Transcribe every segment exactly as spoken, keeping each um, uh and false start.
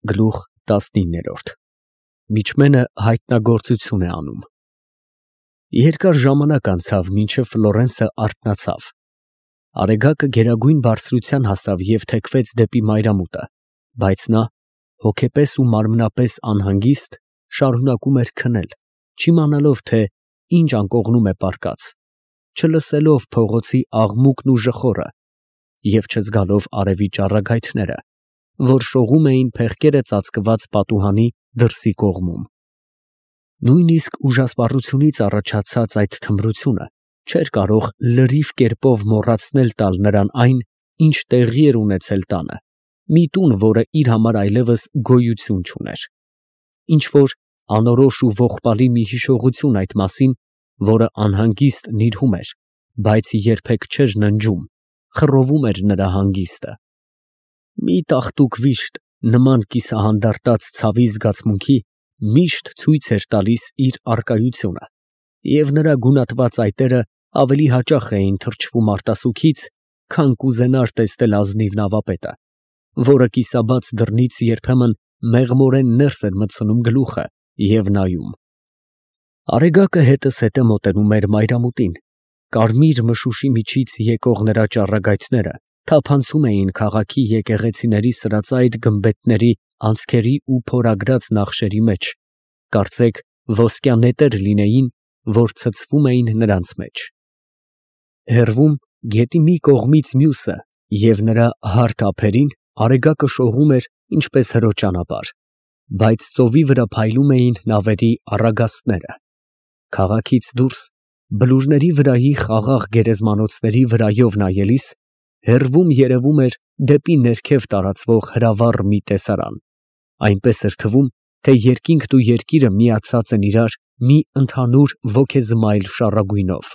Գլուխ տասնիններորդ Միջմենը հայտնագործություն է անում։ Երկար ժամանակ անցավ, մինչև Ֆլորենսը արթնացավ։ Արեգակը գերագույն բարձրության հասավ և թեքվեց դեպի մայրամուտը, բայց նա, հոգեպես ու մարմնապես անհանգիստ, շարունակում էր քնել, չիմանալով, թե ինչ անկողնում է պառկած, չլսելով փողոցի աղմուկն ու ժխորը և չզգալով արևի ճառագայթները, որ շողում էին փեղկերը ծածկված պատուհանի դրսի կողմում։ Նույնիսկ ուժասպառությունից առաջացած այդ թմրությունը չէր կարող լրիվ կերպով մոռացնել տալ նրան այն, ինչ տեղի էր ունեցել տանը, մի տուն, որը իր համար այլևս գոյություն չուներ, ինչ֊որ անորոշ ու ողբալի մի հիշողություն այդ մասին, որը անհանգիստ նիրհում էր, բայց երբեք չէր ննջում, խռովում էր նրա հանգիստը։ Մի տաղտուկ վիշտ, նման կիսահանդարտած ցավի զգացմունքի, միշտ ցույց էր տալիս իր առկայությունը, և նրա գունատված այտերը ավելի հաճախ էին թրջվում արտասուքից, քան կուզենար տեսնել ազնիվ նավապետը, որը կիսաբաց դռնից երբեմն մեղմորեն ներս էր մտցնում գլուխը և նայում։ Արեգակը հետզհետե մոտենում էր մայրամուտին, կարմիր մշուշի միջից եկող նրա ճառագայթները թափանցում էին քաղաքի եկեղեցիների սրածայր գմբեթների անցքերի ու փորագրած նախշերի մեջ, կարծեք ոսկյա նետեր լինեին, որ ցցվում էին նրանց մեջ։ Հեռվում, գետի մի կողմից մյուսը և նրա հարթ ափերին արեգակը շողում էր ինչպես հրո ճանապարհ, բայց ծովի վրա փայլում էին նավերի առագաստները։ Քաղաքից դուրս, բլուրների վրայի խաղաղ գերեզմանոցների վրայով նայելիս, հեռվում երևում էր դեպի ներքև տարածվող հրավառ մի տեսարան, այնպես էր թվում, թե երկինքն ու երկիրը միացած են իրար մի ընդհանուր ոգեզմայլ շառագույնով։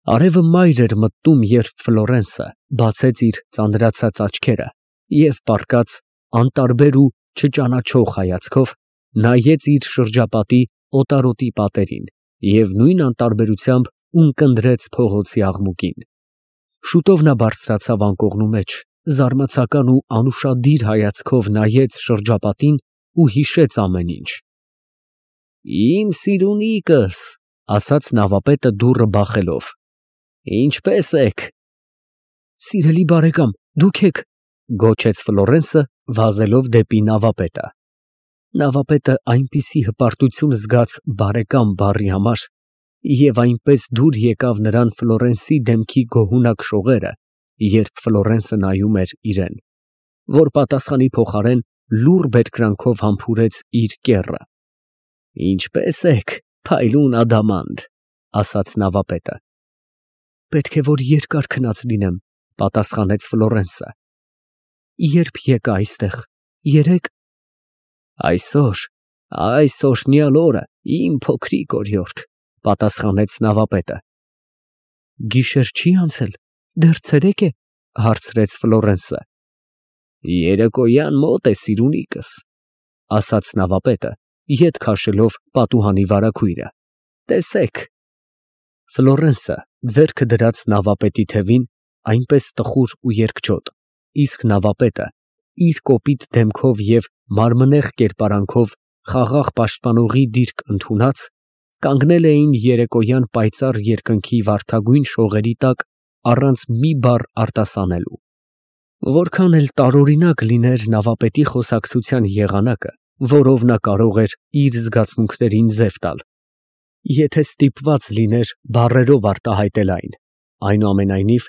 Արևը մայր էր մտնում, երբ Ֆլորենսը բացեց իր ծանրացած աչքերը և պառկած, անտարբեր ու չճանաչող հայացքով, նայեց իր շրջապատի օտարոտի պատերին և նույն անտարբերությամբ ունկնդրեց փողոցի աղմուկին։ Շուտով նա բարձրացավ անկողնու մեջ, զարմացական ու անուշադիր հայացքով նայեց շրջապատին ու հիշեց ամեն ինչ։ «Իմ սիրունիկս», ֊ ասաց նավապետը դուռը բախելով, ֊ ինչպե՞ս եք։ «Սիրելի բարեկամ, դուք ե՞ք», ֊ գոչեց Ֆլորենսը, վազելով դեպի նավապետը։ Նավապետը այնպիսի հպարտություն զգաց «բարեկամ» բառի համար և այնպես դուր եկավ նրան Ֆլորենսի դեմքի գոհունակ շողերը, երբ Ֆլորենսը նայում էր իրան, որ պատասխանի փոխարեն լուռ բերկրանքով համբուրեց իր կեռը։ «Ինչպե՞ս եք, փայլուն ադամանդ», ֊ ասաց նավապետը։ «Պետք է որ երկար քնած լինեմ», ֊ պատասխանեց Ֆլորենսը։ «Ե՞րբ եկա այստեղ, երեկ»։ «Այսօր, այս օրհնյալ օրը, իմ փոքրիկ օրիորդ», ֊ պատասխանեց նավապետը։ «Գիշեր չի անցել, դեռ ցերեկ է», ֊ հարցրեց Ֆլորենսը։ «Երեկոյան մոտ է, սիրունիկս», ֊ ասաց նավապետը, ետ քաշելով պատուհանի վարագույրը, ֊ տեսեք։ Ֆլորենսը ձեռքը դրած նավապետի թևին, այնպես տխուր ու երկչոտ, իսկ նավապետը իր կոպիտ դեմքով և մարմնեղ կերպարանքով խաղաղ պաշտպանողի դիրք ընդունած, կանգնել էին երեկոյան պայծառ երկնքի վարդագույն շողերի տակ առանց մի բառ արտասանելու։ Որքան էլ տարօրինակ լիներ նավապետի խոսակցության եղանակը, որով նա կարող էր իր զգացմունքներին ձև տալ, եթե ստիպված լիներ բառերով արտահայտել այն, այնուամենայնիվ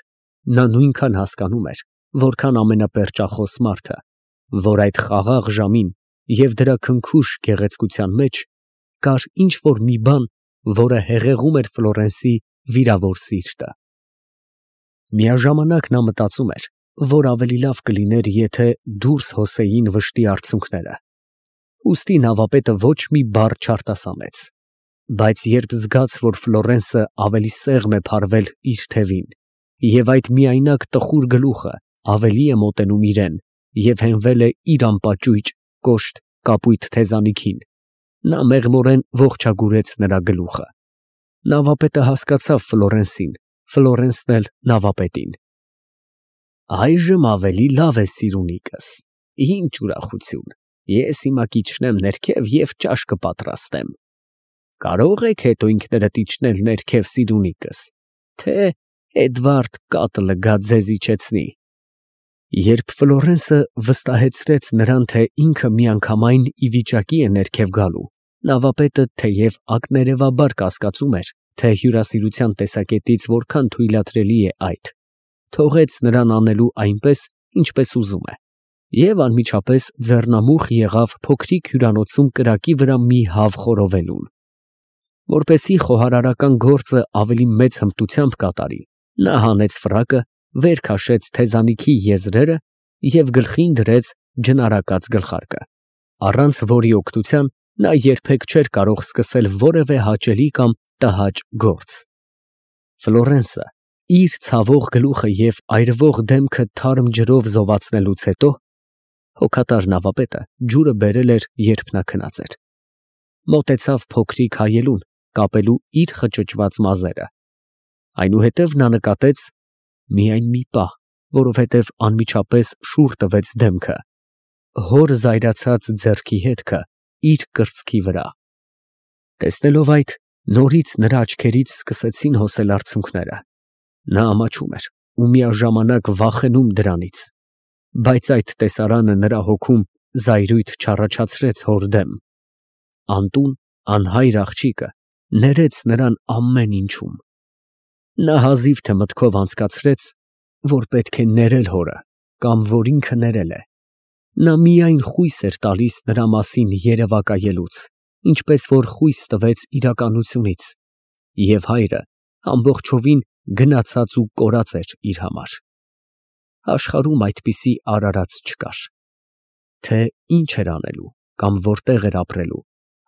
նա նույնքան հասկանում էր, որքան ամենապերճախոս մարդը, որ այդ խաղաղ ժամին և դրա քնքուշ գեղեցկության մեջ կար ինչ֊որ մի բան, որը հեղեղում էր Ֆլորենսի վիրավոր սիրտը։ Միաժամանակ նա մտածում էր, որ ավելի լավ կլիներ, եթե դուրս հոսեին վշտի արցունքները։ Ուստի նավապետը ոչ մի բառ չարտասանեց, բայց երբ զգաց, որ Ֆլորենսը ավելի սեղմ է փարվել իր թևին, և այդ միայնակ տխուր գլուխը ավելի է մոտենում իրան և հենվել է իր անպաճույճ, կոշտ կապույտ թեզանիքին, նա մեղմորեն ողջագուրեց նրա գլուխը։ Նավապետը հասկացավ Ֆլորենսին, Ֆլորենսն էլ նավապետին։ «Այժմ ավելի լավ է, սիրունիկս, Ինչ ուրախություն, ես հիմա կիջնեմ ներքև և ճաշ կպատրաստեմ։ Կարո՞ղ եք հետո ինքներդ իջնել ներքև, սիրունիկս, թե Էդվարդ կատը լգա ձեզ իջեցնի։ Երբ Ֆլորենսը վստահեցրեց նրան, թե ինքը միանգամայն ի վիճակի է ներքև գալու, նավապետը թեև ակներևաբար կասկածում էր, թե հյուրասիրության տեսակետից որքան թույլատրելի է այդ, թողեց նրան անելու այնպես, ինչպես ուզում է, և անմիջապես ձեռնամուխ եղավ փոքրիկ հյուրանոցում կրակի վրա մի հավ խորովելուն։ Որպեսզի խոհարարական գործը ավելի մեծ հմտությամբ կատարի, նա հանեց ֆրակը, վեր քաշեց թեզանիքի եզրերը և գլխին դրեց ջնարակած գլխարկը, առանց որի օգնության նա երբեք չէր կարող սկսել որևէ հաճելի կամ տհաճ գործ։ Ֆլորենսը իր ցավող գլուխը և այրվող դեմքը թարմ ջրով զովացնելուց հետո (հոգատար նավապետը ջուրը բերել էր, երբ նա քնած էր) մոտեցավ փոքրիկ հայելուն, կապելու իր խճճված մազերը։ Այնուհետև նա նկատեց (միայն մի պահ, որովհետև անմիջապես շուռ տվեց դեմքը) հոր զայրացած ձեռքի հետքը իր կրծքի վրա։ Տեսնելով այդ, նորից նրա աչքերից սկսեցին հոսել արցունքները. նա ամաչում էր ու միաժամանակ վախենում դրանից, բայց այդ տեսարանը նրա հոգում զայրույթ չառաջացրեց հոր դեմ։ Անտուն, անհայր աղջիկը ներեց նրան ամեն ինչում։ Նա հազիվ թե մտքով անցկացրեց, որ պետք է ներել հորը, կամ որ ինքը ներել է։ Նա միայն խույս էր տալիս նրա մասին երևակայելուց, ինչպես որ խույս տվեց իրականությունից, և հայրը ամբողջովին գնացած ու կորած էր իր համար։ Աշխարհում այդպիսի արարած չկար։ Թե ինչ էր անելու կամ որտեղ էր ապրելու,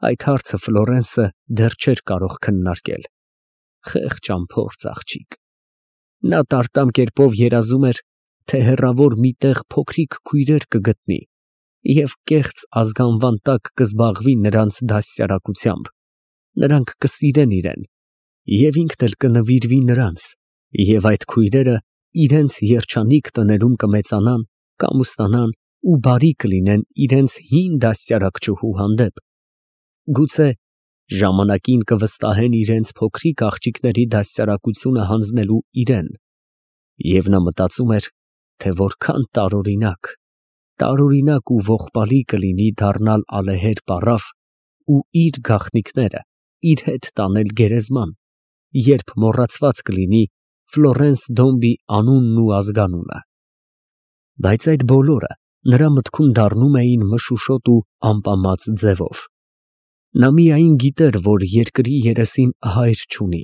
այդ հարցը Ֆլորենսը դեռ չէր կարող քննարկել։ Խեղճ անփորձ աղջիկ։ Նա տարտամ կերպով երազում էր, թե հեռավոր մի տեղ փոքրիկ քույրեր կգտնի և կեղծ ազգանվան տակ կզբաղվի նրանց դաստիարակությամբ, նրանք կսիրեն իրան, և ինքն էլ կնվիրվի նրանց, և այդ քույրերը իրենց երջանիկ տներում կմեծանան, կամուսնանան ու բարի կլինեն իրենց հին դաստիարակչուհու հանդեպ, գուցե ժամանակին կվստահեն իրենց փոքրիկ աղջիկների դաստիարակությունը հանձնելու իրան, և նա մտածում էր, թե որքան տարօրինակ, տարօրինակ ու ողբալի կլինի դառնալ ալեհեր պառավ ու իր գաղտնիքները իր հետ տանել գերեզման, երբ մոռացված կլինի Ֆլորենս Դոմբի անունն ու ազգանունը։ Բայց այդ բոլորը նրա մտքում դառնում էին մշուշոտ ու ամպամած ձևով։ Նա միայն գիտեր, որ երկրի երեսին հայր չունի,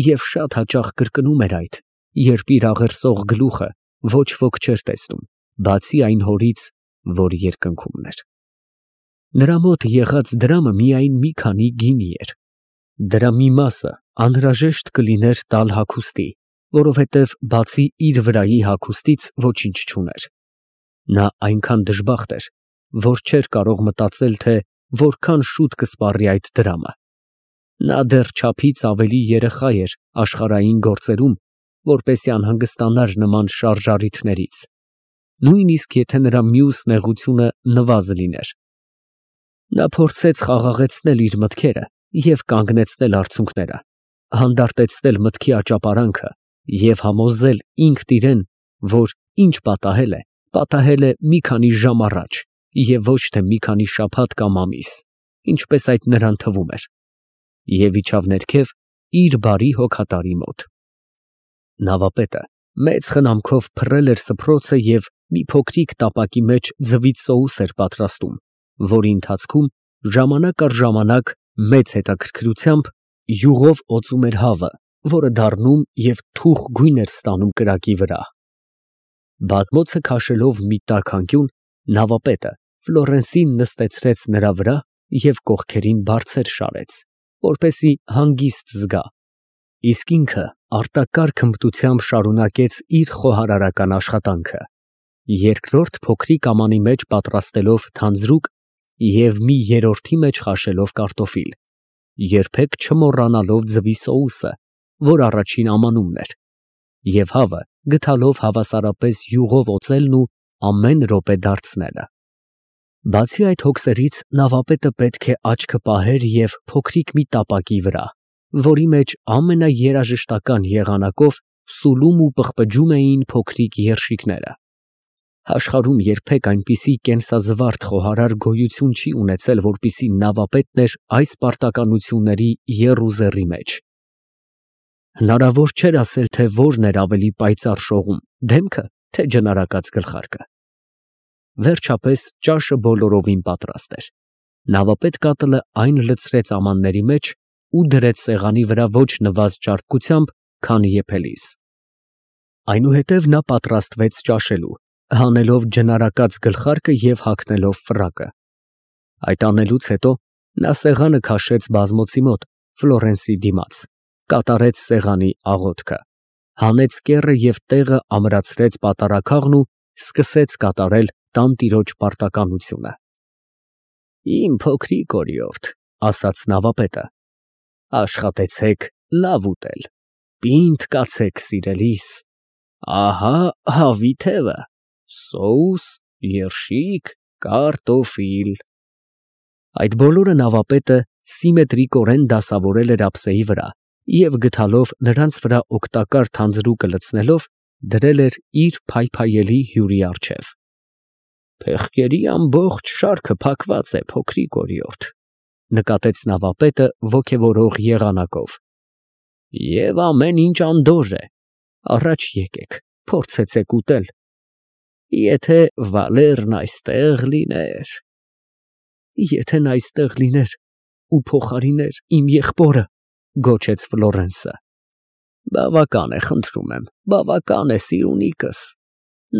և շատ հաճախ կրկնում էր այդ, երբ իր աղերսող գլուխը ոչ ոք չէր տեսնում, բացի այն հորից, որ երկնքում էր։ Նրա մոտ եղած դրամը միայն մի քանի գինի էր։ Դրա մի մասը անհրաժեշտ կլիներ տալ հագուստի, որովհետև բացի իր վրայի հագուստից ոչինչ չուներ։ Նա այնքան դժբախտ էր, որ չէր կարող մտածել, թե որքան շուտ կսպառի այդ դրամը։ Նա դեռ չափից ավելի երեխա էր աշխարհային գործերում, որպեսզի անհանգստանար նման շարժառիթներից, նույնիսկ եթե նրա մյուս նեղությունը նվազ լիներ։ Նա փորձեց խաղաղեցնել իր մտքերը և կանգնեցնել արցունքները, հանդարտեցնել մտքի աճապարանքը և համոզել ինքն իրան, որ ինչ պատահել է, պատահել է մի քանի ժամ առաջ և ոչ թե մի քանի շաբաթ կամ ամիս, ինչպես այդ նրան թվում էր, և իջավ ներքև իր բարի հոգատարի մոտ։ Նավապետը մեծ խնամքով փռել էր սփռոցը և մի փոքրիկ տապակի մեջ ձվից սոուս էր պատրաստում, որի ընթացքում ժամանակ առ ժամանակ մեծ հետաքրքրությամբ յուղով օծում էր հավը, որը դառնում և թուխ գույն էր ստանում կրակի վրա։ Բազմոցը քաշելով մի տաք անկյուն, նավապետը Ֆլորենսին նստեցրեց նրա վրա և կողքերին բարձր շարեց, որպեսզի հանգիստ զգա, իսկ ինքը արտակարգ հմտությամբ շարունակեց իր խոհարարական աշխատանքը, երկրորդ փոքրիկ ամանի մեջ պատրաստելով թանձրուկ և մի երրորդի մեջ խաշելով կարտոֆիլ, երբեք չմոռանալով ձվի սոուսը, որ առաջին ամանումն էր, և հավը գթալով հավասարապես յուղով օծելն ու ամեն րոպե դարձնելը։ Բացի այդ հոգսերից նավապետը պետք է աչքը պահեր և փոքրիկ մի տապակի վրա, որի մեջ ամենաերաժշտական եղանակով սուլում ու պղպջում էին փոքրիկ երշիկները։ Աշխարհում երբեք այնպիսի կենսազվարթ խոհարար գոյություն չի ունեցել, որպիսի նավապետն էր այս պարտականությունների եռուզեռի մեջ։ Հնարավոր չէր ասել, թե որն էր ավելի պայծառ շողում, դեմքը, թե ջնարակած գլխարկը։ Վերջապես ճաշը բոլորովին պատրաստ էր։ Նավապետ կատլը այն լցրեց ամանների մեջ ու դրեց սեղանի վրա ոչ նվազ ճարպկությամբ, քան եփելիս։ Այնուհետև նա պատրաստվեց ճաշելու, հանելով ջնարակած գլխարկը և հագնելով ֆրակը։ Այդ անելուց հետո նա սեղանը քաշեց բազմոցի մոտ, Ֆլորենսի դիմաց, կատարեց սեղանի աղոթքը, հանեց կեռը և տեղը ամրացրեց պատառաքաղն ու սկսեց կատարել տանտիրոջ պարտականությունը։ «Իմ փոքրիկ օրիորդ», ֊ ասաց նավապետը, ֊ աշխատեցեք լավ ուտել, պինդ կացեք սիրելիս, ահա հավի թևը, սոուս, երշիկ, կարտոֆիլ։ Այդ բոլորը նավապետը սիմետրիկորեն դասավորել էր ափսեի վրա և գդալով նրանց վրա օգտակար թանձրուկը լցնելով, դրել էր իր փայփայելի հյուրի առջև։ «Փեղկերի ամբողջ շարքը փակված է, փոքրիկ օրիորդ», ֊ նկատեց նավապետը ոգևորող եղանակով, ֊ և ամեն ինչ անդորր է, առաջ եկեք, փորձեցեք ուտել, եթե Վալերն այստեղ լիներ… ֊ Եթե նա այստեղ լիներ ու փոխարիներ իմ եղբորը… ֊ գոչեց Ֆլորենսը։ ֊ Բավական է, խնդրում եմ, բավական է, սիրունիկս,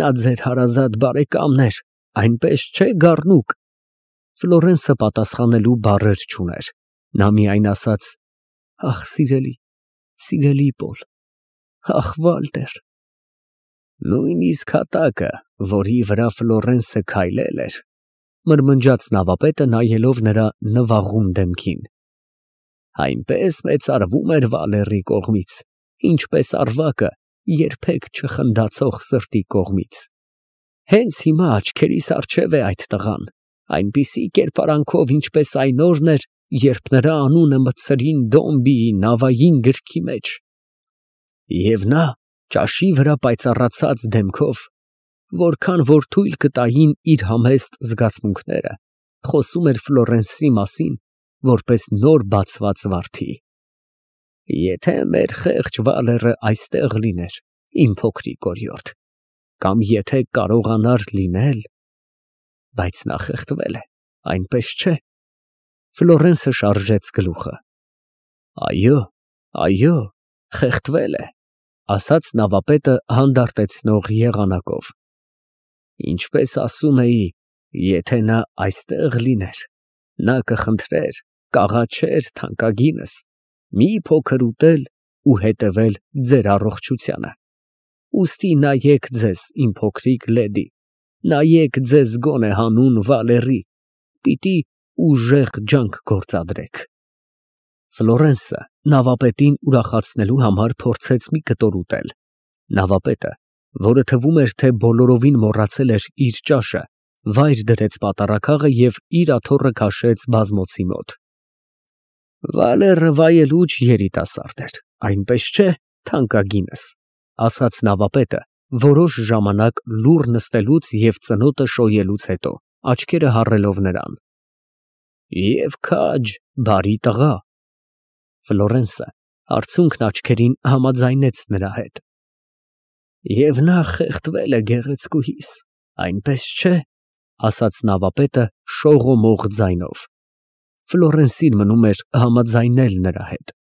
նա ձեր հարազատ բարեկամն էր, այնպես չէ, գառնուկ… Ֆլորենսը պատասխանելու բառեր չուներ, նա միայն ասաց. «Ախ, սիրելի, սիրելի Պոլ… ախ, Վալտեր…»։ Նույնիսկ հատակը, որի վրա Ֆլորենսը քայլել էր, մրմնջաց նավապետը, նայելով նրա նվաղում դեմքին, այնպես մեծարվում էր Վալերի կողմից, ինչպես ավագը երբեք չխնդացող սրտի կողմից… Հենց հիմա աչքերիս առջև է այդ տղան, այնպիսի կերպարանքով, ինչպես այն օրն էր, երբ նրա անունը մտցրին Դոմբիի նավային գրքի մեջ… Եվ նա ճաշի վրա պայծառացած դեմքով, որքան որ թույլ կտային իր համեստ զգացմունքները, խոսում էր Ֆլորենսի մասին, որպես նոր բացված վարդի… Եթե մեր խեղճ Վալերը այստեղ լիներ, իմ փոքրիկ օրիորդ, կամ եթե կարողանար լինել… Բայց նա խեղդվել է, այնպես չէ… Ֆլորենսը շարժեց գլուխը։ Այո, այո, խեղդվել է, ֊ ասաց նավապետը հանդարտեցնող եղանակով։ Ինչպես ասում էի, եթե նա այստեղ լիներ, նա կխնդրեր, կաղաչեր թանկագինս, մի փոքր ուտել ու հետևել ձեր առողջությանը… Ուստի նայեք ձեզ, իմ փոքրիկ լեդի, նայեք ձեզ գոնե հանուն Վալերի, պիտի ուժեղ ջանք գործադրեք… Ֆլորենսը նավապետին ուրախացնելու համար փորձեց մի կտոր ուտել։ Նավապետը, որը թվում էր, թե բոլորովին մոռացել էր իր ճաշը, վայր դրեց պատառաքաղը և իր աթոռը քաշեց բազմոցի մոտ։ Վալերը վայելուչ երիտասարդ էր, այնպես չէ, թանկագինս, ֊ ասաց նավապետը, որոշ ժամանակ լուռ նստելուց և ծնոտը շոյելուց հետո, աչքերը հառելով նրան։ Եվ քաջ, բարի տղա… Ֆլորենսը արցունքն աչքերին համաձայնեց նրա հետ։ Եվ նա խեղդվել է գեղեցկուհիս, այնպես չէ… ֊ ասաց նավապետը շողոմող ձայնով։ Ֆլորենսին մնում էր համաձայնել նրա հետ։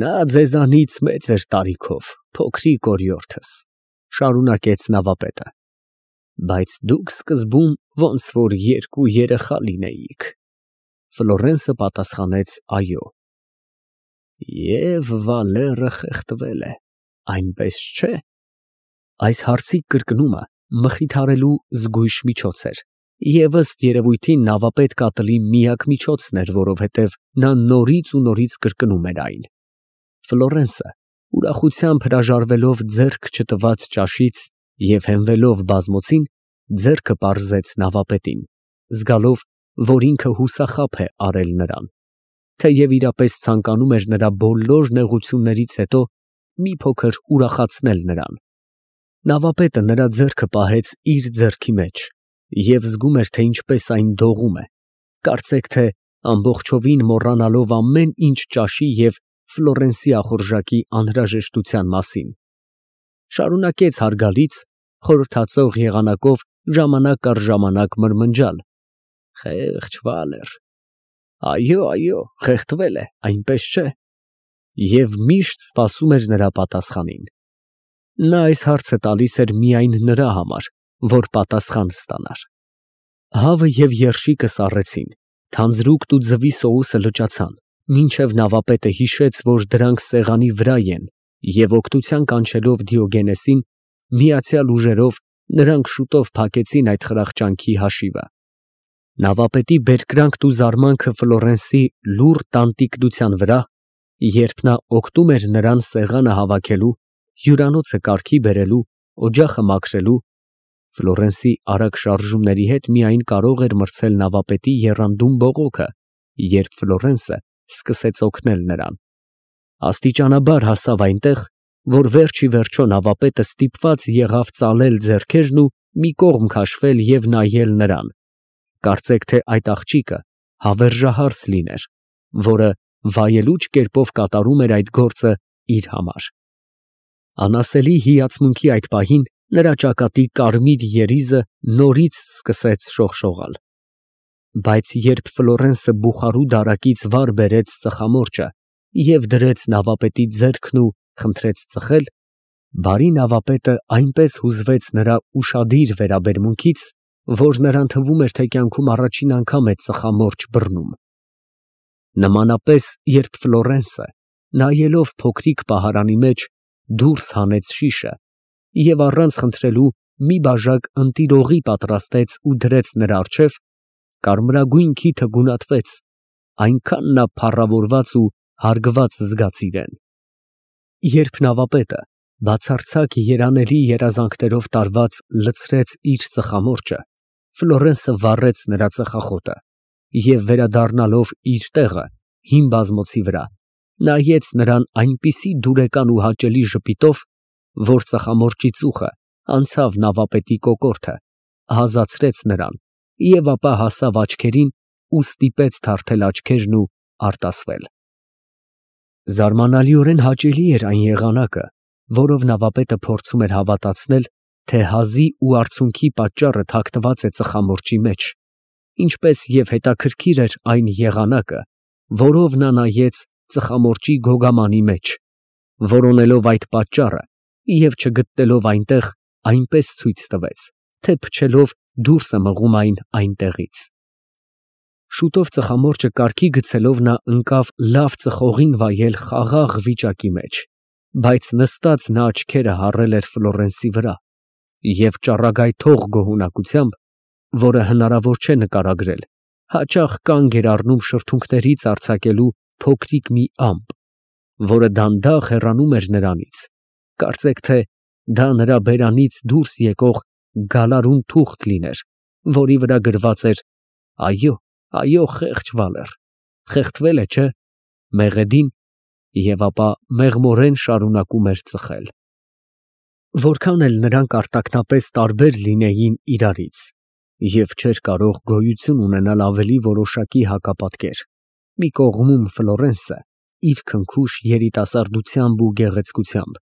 Նա ձեզանից մեծ էր տարիքով, փոքրիկ օրիորդս, ֊ շարունակեց նավապետը, բայց դուք սկզբում ոնց որ երկու երեխա լինեիք… Ֆլորենսը պատասխանեց այո։ Եվ Վալերը խեղդվել է, այնպես չէ… Այս հարցի կրկնումը մխիթարելու զգույշ միջոց էր, և ըստ երևույթին նավապետ կատլի միակ միջոցն էր, որովհետև նա նորից ու նորից կրկնում էր այն։ Ֆլորենսը ուրախությամբ հրաժարվելով ձեռք չտված ճաշից և հենվելով բազմոցին, ձեռքը պարզեց նավապետին, զգալով, որ ինքը հուսախաբ է արել նրան, թեև իրապես ցանկանում էր նրա բոլոր նեղություններից հետո մի փոքր ուրախացնել նրան։ Նավապետը նրա ձեռքը պահեց իր ձեռքի մեջ և զգում էր, թե ինչպես այն դողում է, կարծեք թե ամբողջովին մոռանալով ամեն ինչ ճաշի և Ֆլորենսի ախորժակի անհրաժեշտության մասին։ Շարունակեց հարգալից, խորհրդածող եղանակով ժամանակ առ ժամանակ մրմնջալ. «Խեղճ Վալեր, այո, այո, խեղդվել է, այնպես չէ» և միշտ սպասում էր նրա պատասխանին։ Նա այս հարցը տալիս էր միայն նրա համար, որ պատասխան ստանար։ Հավը և երշիկը սառեցին, թանձրուկտ ու ձվի սոուսը լճացան, մինչև նավապետը հիշեց, որ դրանք սեղանի վրա են, և օգնության կանչելով Դիոգենեսին, միացյալ ուժերով նրանք շուտով փակեցին այդ խրախճանքի հաշիվը։ Նավապետի բերկրանքն ու զարմանքը Ֆլորենսի լուռ տանտիկության վրա, երբ նա օգնում էր նրան սեղանը հավաքելու, հյուրանոցը կարգի բերելու, օջախը մաքրելու, Ֆլորենսի արագ շարժումների հետ միայն կարող էր մրցել նավապետի եռանդուն բողոքը, երբ Ֆլորենսը սկսեց օգնել նրան։ Աստիճանաբար հասավ այնտեղ, որ վերջ ի վերջո նավապետը ստիպված եղավ ծալել ձեռքերն ու մի կողմ քաշվել և նայել նրան, կարծեք թե այդ աղջիկը հավերժահարս լիներ, որը վայելուչ կերպով կատարում էր այդ գործը իր համար։ Անասելի հիացմունքի այդ պահին նրա ճակատի կարմիր երիզը նորից սկսեց շողշողալ։ Բայց երբ Ֆլորենսը բուխարու դարակից վար բերեց ծխամորճը և դրեց նավապետի ձեռքն ու խնդրեց ծխել, բարի նավապետը այնպես հուզվեց նրա ուշադիր վերաբերմունքից, որ նրան թվում էր, թե կյանքում առաջին անգամ է ծխամորճ բռնում։ Նմանապես, երբ Ֆլորենսը, նայելով փոքրիկ պահարանի մեջ, դուրս հանեց շիշը և առանց խնդրելու մի բաժակ ընտիրողի պատրաստեց ու դրեց նրա առջև, կարմրագույն քիթը գունատվեց, այնքան նա փառավորված ու հարգված զգաց իրեն։ Երբ նավապետը բացարձակ երանելի երազանքներով տարված լցրեց իր ծխամորճը, Ֆլորենսը վառեց նրա ծխախոտը և վերադառնալով իր տեղը հին բազմոցի վրա, նայեց նրան այնպիսի դուրեկան ու հաճելի ժպիտով, որ ծխամորճի ծուխը անցավ նավապետի կոկորդը, ազատեցրեց նրան և ապա հասավ աչքերին ու ստիպեց թարթել աչքերն ու արտասվել։ Զարմանալիորեն հաճելի էր այն եղանակը, որով նավապետը փորձում էր հավատացնել, թե հազի ու արցունքի պատճառը թաքնված է ծխամորճի մեջ, ինչպես և հետաքրքիր էր այն եղանակը, որով նա նայեց ծխամորճի գոգամանի մեջ, որոնելով այդ պատճառը և չգտնելով այնտեղ, այնպես ցույց տվեց, թե փչելով դուրս է մղում այն այնտեղից։ Շուտով ծխամորճը կարգի գցելով նա ընկավ լավ ծխողին վայել խաղաղ վիճակի մեջ, բայց նստած նա աչքերը հառել էր Ֆլորենսի վրա և ճառագայթող գոհունակությամբ, որը հնարավոր չէ նկարագրել, հաճախ կանգ էր առնում շրթունքներից արձակելու փոքրիկ մի ամպ, որը դանդաղ հեռանում էր նրանից, կարծեք թե դա նրա բերանից դուրս եկող գալարուն թուղթ լիներ, որի վրա գրված էր. «Այո, այո, խեղճ Վալեր, խեղդվել է, չէ՞», մեղեդին, և ապա մեղմորեն շարունակում էր ծխել։ Որքան էլ նրանք արտաքնապես տարբեր լինեին իրարից և չէր կարող գոյություն ունենալ ավելի որոշակի հակապատկեր, մի կողմում Ֆլորենսը իր քնքուշ երիտասարդությամբ ու գեղեցկությամբ,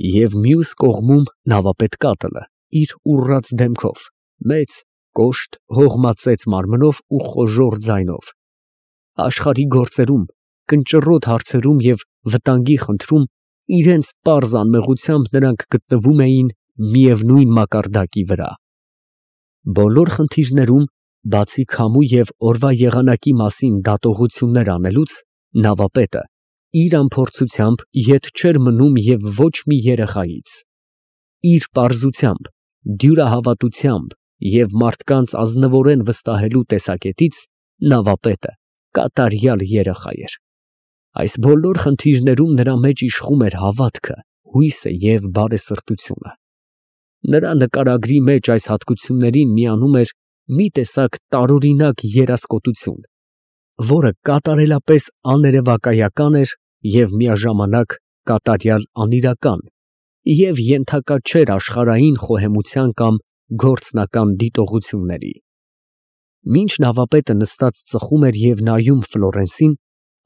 և մյուս կողմում նավապետ Կատլը իր ուռած դեմքով, մեծ, կոշտ, հողմածեց մարմնով ու խոժոռ ձայնով, աշխարհի գործերում, կնճռոտ հարցերում և վտանգի խնդրում իրենց պարզ անմեղությամբ նրանք գտնվում էին միևնույն մակարդակի վրա։ Բոլոր խնդիրներում, բացի քամու և օրվա եղանակի մասին դատողություններ անելուց, նավապետը իր անփորձությամբ ետ չէր մնում և ոչ մի երեխայից։ Իր պարզությամբ, դյուրահավատությամբ և մարդկանց ազնվորեն վստահելու տեսակետից նավապետը կատարյալ երեխա էր։ Այս բոլոր խնդիրներում նրա մեջ իշխում էր հավատքը, հույսը և բարեսրտությունը։ Նրա նկարագրի մեջ այս հատկություններին միանում էր մի տեսակ տարօրինակ երասկոտություն, որը կատարելապես աներևակայական էր և միաժամանակ կատարյալ անիրական և ենթակա չէր աշխարհային խոհեմության կամ գործնական դիտողությունների։ Մինչ նավապետը նստած ծխում էր և նայում Ֆլորենսին,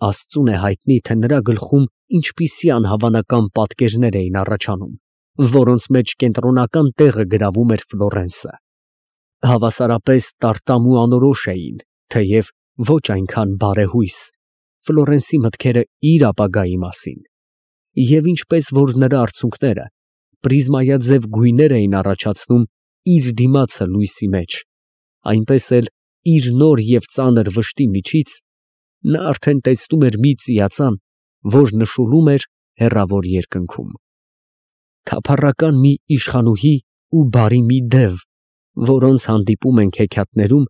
աստծուն է հայտնի, թե նրա գլխում ինչպիսի անհավանական պատկերներ էին առաջանում, որոնց մեջ կենտրոնական տեղը գրավում էր Ֆլորենսը. հավասարապես տարտամ ու անորոշ էին, թեև ոչ այնքան բարեհույս, Ֆլորենսի մտքերը իր ապագայի մասին, և ինչպես որ նրա արցունքները պրիզմայաձև գույներ էին առաջացնում իր դիմացը լույսի մեջ, այնպես էլ իր նոր և ծանր վշտի միջից նա արդեն տեսնում էր մի ծիածան, որ նշուլում էր հեռավոր երկնքում, թափառական մի իշխանուհի ու բարի մի դև, որոնց հանդիպում ենք հեքիաթներում,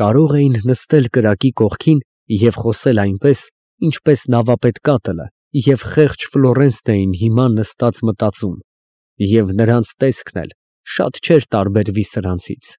կարող էին նստել կրակի կողքին և խոսել այնպես, ինչպես նավապետ Կատլը և խեղճ Ֆլորենսն էին հիմա նստած մտածում, և նրանց տեսքն էլ շատ չէր տարբերվի սրանցից։